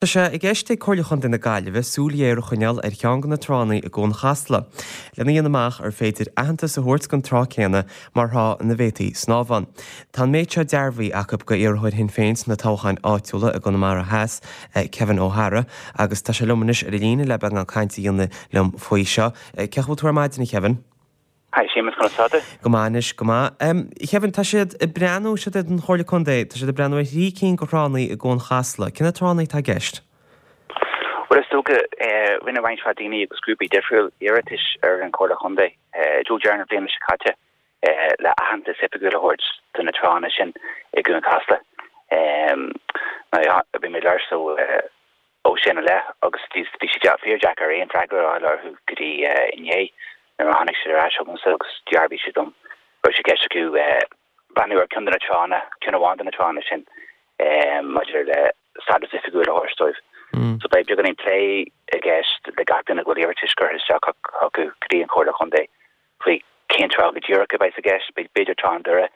Tá sé i gceist ag Comhairle Chontae na Gaillimhe súil ghéar a choinneáil ar cheann de na tránna i gCuan Chasla, lena dhéanamh amach ar féidir aitheantas a thabhairt don trá céanna mar thrá ina bhféadfaí snámh ann. Tá an méid seo dearbhaithe acu go iarrthóir Shinn Féin sna toghcháin áitiúla i gConamara Theas, Kevin O'Hara, agus tá sé liom anois ar an líne le beagán cainte a dhéanamh liom faoi seo. Cén chaoi a bhfuil tú ar maidin, a Kevin? Hi Séamus, conas tá tú? Go maith anois, go maith. A Kevin, tá siad ag breathnú, siad an Chomhairle Contae, tá siad ag breathnú ar thrí cinn de thránna i gCuan Chasla. Cé na tránna atá i gceist? Bhuel, is dócha, rinne roinnt mhaith daoine agus grúpaí difriúil iarratais ar an Chomhairle Chontae i dtreo deireadh na bliana seo caite le aitheantas oifigiúil a thabhairt do na tránna sin i gCuan Chasla. Now, bhí mé ag labhairt leo ó sin i leith agus bhí sé fíordheacair aon freagra a fháil orthu go dtí inné nuair a tháinig siad ar ais chugamsa agus dhearbhaigh siad dom go raibh sé i gceist acu breathnú ar ceann de na tránna, ceann amháin de na tránna sin maidir le stádas oifigiúil a thabhairt dóibh. So beidh beagáinín plé i gceist le gach duine go bhfuil iarratais curtha isteach acu go dtí an Chomhairle Chontae faoi cén trá go díreach a bheas i gceist. B'fhéidir Trá an Doire,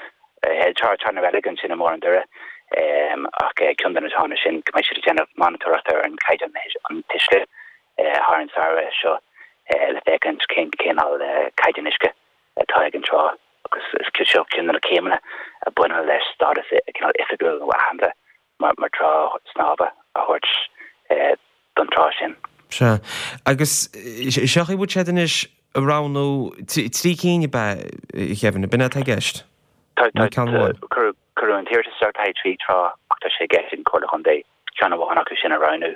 Trá na Reilige ansin i mbarr an Doire, ach ceann de na tránna sin go mbeidh siad ag déanamh monatóireachta ar an chaighdeán an t-uisce thar an samhradh seo le féachaint cén cineál caighdeán uisce atá ag an trá agus is seo ceann de na céimeanna a bhaineann leis stádas cineál oifigiúil nó aitheanta mar trá snámha a thabhairt don trá sin. Sea. Agus seo a bhfuil siad anois a roghnú, trí cinn ab ea, a Kevin, ab in é atá i gceist? Tá, tá, cuireadh an t-iarratas isteach le haghaidh trí trá ach tá sé i gceist ag an Chomhairle Chontae ceann amháin acu sin a roghnú.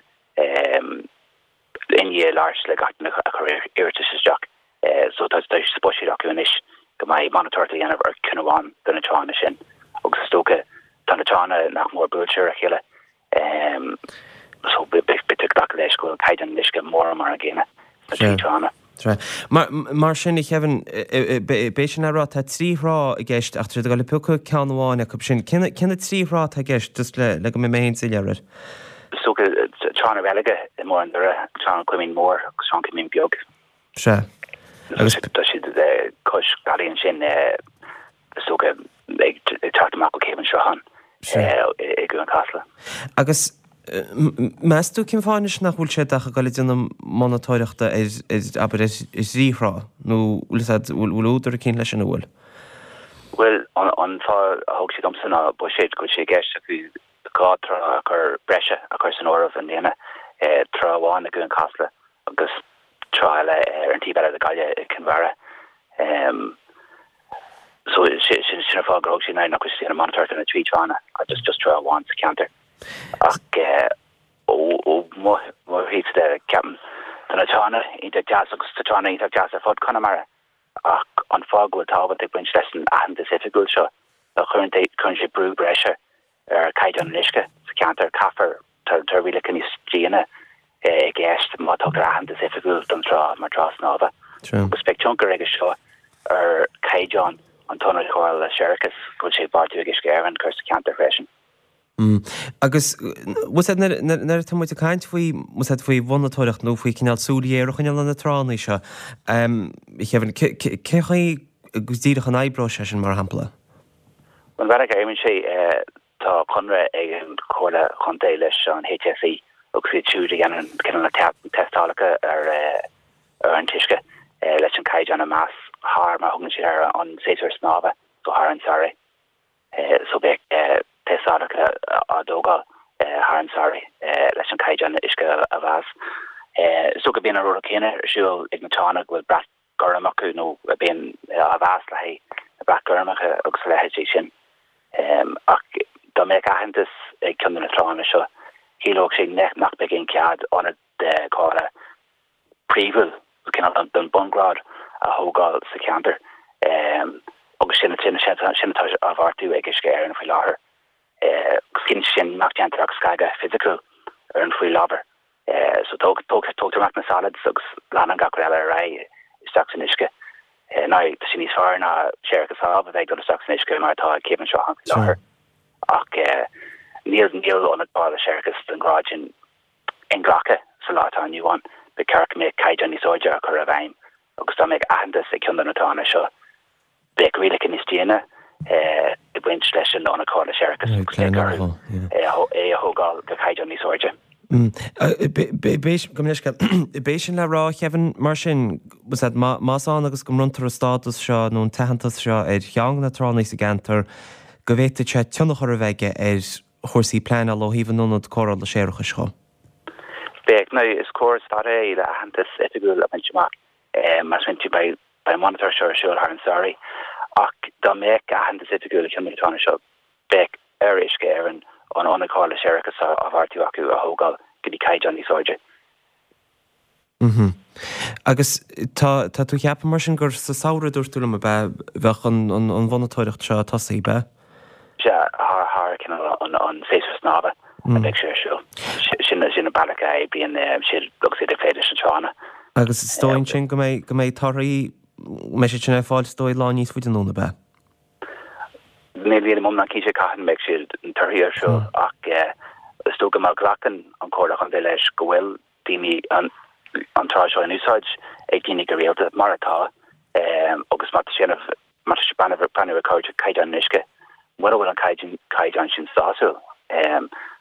I ndiaidh labhairt le gach duine a chuir iarratas isteach. So tá sé sa bhuiséad acu anois go mbeidh monatóireacht á dhéanamh ar cheann amháin de na tránna sin agus is dócha tá na tránna nach mór buailte ar a chéile so beidh tú ag glacadh leis go bhfuil caighdeán an uisce mórán mar an gcéanna sna trí tránna. Mar sin, a Kevin, b'é sin le rá, tá trí thrá i gceist ach tá siad ag dul a piocadh ceann amháin acu sin. Cé na trí thrá atá i gceist, just le go mbeidh mé féin soiléir air? Is dócha Trá na Reilige i mbarr an Doire, Trá an Chuimín Mór agus Trá an Chuimín Beag. Sea. Agus. Tá siad cois bealaigh ansin, is dócha, ag teacht amach ó Chéibh an tSrutháin i gCuan Chasla. Agus meas tú cén fáth anois nach bhfuil siad ach ag dul ag déanamh monatóireachta ar, abair, ar thrí thrá? Nó bhfuil fhios a'd, bhfuil údar eicínt leis sin, an bhfuil? Bhuel, an fáth a thug siad domsa ná buiséad, go bhfuil sé i gceist acu 2 trá a chur breise a chur san áireamh i mbliana, trá amháin i gCuan Chasla agus trá eile ar an taobh eile de Ghaillimh i gCionn Mhara. So sin sin an fáth gur thug siad nach bhfuil siad ag déanamh monatóireacht ar na trí tránna ach just just trá amháin sa cheantar. Ach ó ó mo mo thaobhsa de ceapaim tá na tránna iontach deas agus tá tránna iontach deas ar fud Chonamara ach an fáth go bhfuil tábhacht ag baint leis an aitheantas oifigiúil seo ná cuireann cuireann sé brú breise ar chaighdeán an uisce sa cheantar. Caithfear, tá rialacha níos déine i gceist má tugtar aitheantas oifigiúil don trá mar trá snámha agus beidh tionchar aige seo ar chaighdeán an t-ionad cóireála séarachais go bhfuil sé beartaithe ag Uisce Éireann cur sa cheantar freisin. Agus bhfuil fhios a'd nuair atá muid ag caint faoi, bhfuil fhios a'd faoi mhonatóireacht nó faoi cineál súil ghéar a choinneáil ar na tránna seo, a Kevin, cé chaoi go díreach an oibreoidh sé sin mar shampla? An bealach a oibríonn sé, tá conradh ag an Chomhairle Chontae leis an HSE agus iad siúd a dhéanann cineál na tástálacha ar an t-uisce leis an caighdeán a mheas thar, mar a thugann siad air, an séasúr snámha, so thar an samhradh. So beidh tástálacha á dtógáil thar an samhradh leis an caighdeán uisce a mheas. Is dócha bíonn an rud céanna ar siúl ag na tránna go bhfuil brat gorm acu nó a bhíonn á mheas le haghaidh na brat gormacha agus a leithéidí sin. Ach dá mbeadh aitheantas ag ceann de na tránna seo, chiallódh sé nach mbeadh aon cead ionad cóireála príomhúil, cineál den bhunghrád, a thógáil sa cheantar. Agus sin sin atá á bheartú ag Uisce Éireann faoi láthair. Agus cinnte sin nach déantar ach scagadh fisiciúil ar an faoi láthair. So tógtar amach na solids agus leanann gach rud eile ar aghaidh isteach san uisce. Now, tá sé níos fearr ná séarachas amh a bheith ag dul isteach san uisce mar atá ag Céibh an tSrutháin faoi láthair. Ach níl níl ionad cóireála séarachais den ghrád sin inghlactha sa lá atá inniu ann. Ba cheart go mbeadh caighdeán níos airde á chur i bhfeidhm agus dá mbeadh aitheantas ag ceann de na tránna seo, Bheadh rialacha níos déine ag baint leis an ionad cóireála séarachais agus beidh orthu é a thógáil go caighdeán níos airde. B'é sin le rá, a Kevin, mar sin, más ann agus go mbronntar an stádas seo nó an t-aitheantas seo ar cheann de na tránna sa gceantar, go bhféadfadh sé tionchar a bheith aige ar chúrsaí pleanála ó thaobh an ionad cóireála séarachais dhó. Bheadh. Now, is córas fada é le aitheantas oifigiúil a bhaint amach. Mar sin, beidh an mhonatóireacht seo ar siúl thar an samhradh. Ach dá mbeadh aitheantas oifigiúil ag ceann de na tránna seo, bheadh ar Uisce Éireann an ionad cóireála séarachais atá á bheartú acu a thógáil go dtí caighdeán níos airde. Mm-hmm. Agus tá, tá tú ag ceapadh mar sin gur sa samhradh a dúirt tú liom, ab ea, bheadh an, an, an mhonatóireacht seo ag tosaí, ab ea? Sea, thar, thar cineál an, an séasúr snámha a bheidh sé ar siúl. Sin, sin an bealach a oibríonn siad agus iad ag plé leis na tránna. Agus is dóigh ansin go mbeidh, go mbeidh torthaí, go mbeidh siad sin ar fáil is dóigh lá níos faide anonn, ab ea? Níl mé iomlán cinnte cathain a mbeidh siad na torthaí ar siúl ach is dócha má ghlacann an Chomhairle Chontae leis go bhfuil daoine an trá seo in úsáid ag daoine go rialta, mar atá, agus má tá sé má tá sé breathnú ar caighdeán an uisce, mura bhfuil an caighdeán sin sásúil,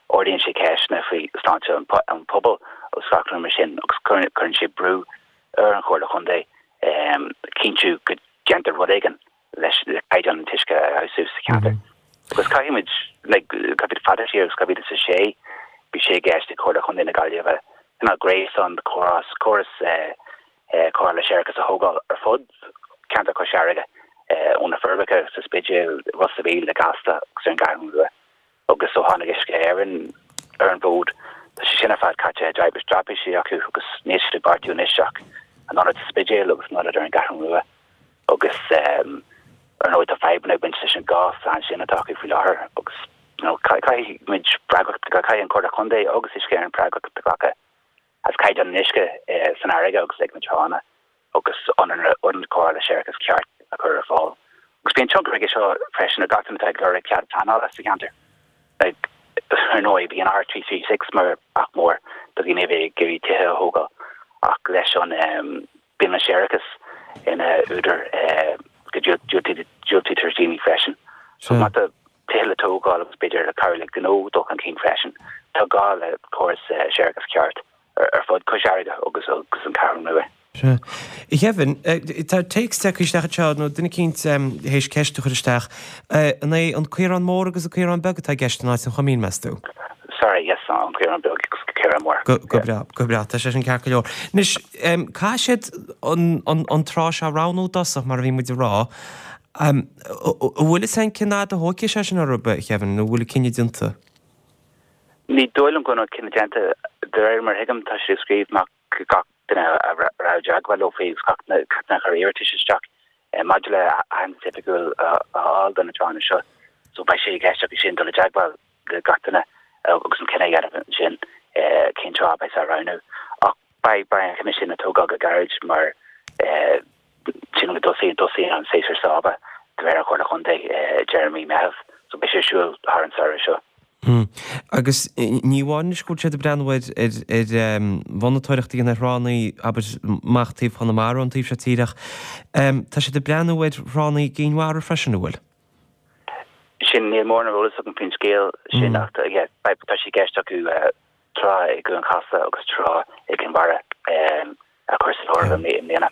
ardaíonn sé ceisteanna faoi shláinte an phobail agus gach rud mar sin agus cuireann sé brú ar an Chomhairle Chontae cinntiú go déantar rud éigin leis le caighdeán an t-uisce a fheabhsú sa cheantar. Agus caithfidh muid, like, caithfidh fada siar agus 2006 bhí sé i gceist ag Comhairle Chontae na Gaillimhe cineál gréasán de chóras, córas cóireála séarachais a thógáil ar fud cheantar Chois Fharraige, ó na Forbacha sa Spidéal, Ros a' Mhíl, i gCasla agus ar an gCeathrú Rua. Agus ó tháinig Uisce Éireann ar an bhfód, tá sé sin ar fad caite i dtraipisí acu agus níl siad ag beartú anois ach an ionad sa Spidéal agus an ionad ar an gCeathrú Rua. Agus ar ndóigh tá fadhbanna ag baint leis an dhá phlean sin atá acu faoi láthair agus you know caithfidh muid freagracht, caithfidh an Chomhairle Chontae agus Uisce Éireann freagracht a ghlacadh as caighdeán an uisce san fharraige agus ag na tránna agus ionad cóireála séarachais ceart a chur ar fáil. Agus bíonn tionchar aige seo freisin ar gach duine atá ag lorg cead pleanála sa cheantar. Like, ar ndóigh, bíonn R336 mar bhac mór do dhaoine a bheith ag iarraidh tithe a thógáil ach leis an bíonn an séarachas ina údar go diúltaítear daoine freisin. So má tá tithe le tógáil agus b'fhéidir le cabhrú le gnó dul chun cinn freisin, tá gá le córas séarachais ceart ar fud Cois Fharraige agus agus an Cheathrú Rua. Sea. A Kevin, tá téacs tagtha isteach anseo, nó duine eicínt théis ceist a chur isteach. An é an Caorán Mór agus an Caorán Beag atá i gceist in áit an Choimín, meas tú? Sorry, yes, an Caorán Beag agus an Caorán Mór. Go breá, go breá, tá sé sin ceart go leor. Anois, caithfidh siad an trá seo a roghnú i dtosach, mar a bhí muid ag rá. An bhfuil fhios a'inn cén fhad a thógfaidh sé sin orthu, a Kevin, nó an bhfuil an cinneadh déanta? Ní dóigh liom go bhfuil an cinneadh déanta. De réir mar a thuigim, tá siad ag scríobh amach go gach duine a raibh i dteagmháil leo faoi agus gach duine a chuir iarratais isteach maidir le aitheantas oifigiúil a fháil do na tránna seo. So beidh sé i gceist acu sin dul i dteagmháil le gach duine agus an cinneadh a dhéanamh ansin cén trá a bheas á roghnú. Ach beidh beidh an cinneadh sin á tógáil go gairid mar sin go dtosaíonn tosaíonn an séasúr snámha de réir an Chomhairle Chontae deireadh mí Meitheamh. So beidh sé ar siúl thar an samhradh seo. Agus ní amháin anois go bhfuil siad ag breathnú ar ar mhonatóireacht a dhéanamh ar thránna, abair, amach taobh Chonamara ón taobh seo tíre ach tá siad ag breathnú ar thránna i gCinn Mhara freisin, an bhfuil? Sin, níl mórán eolas agam faoin scéal sin ach yeah, tá sé i gceist acu trá i gCuan Chasla agus trá i gCinn Mhara a chur san áireamh i mbliana.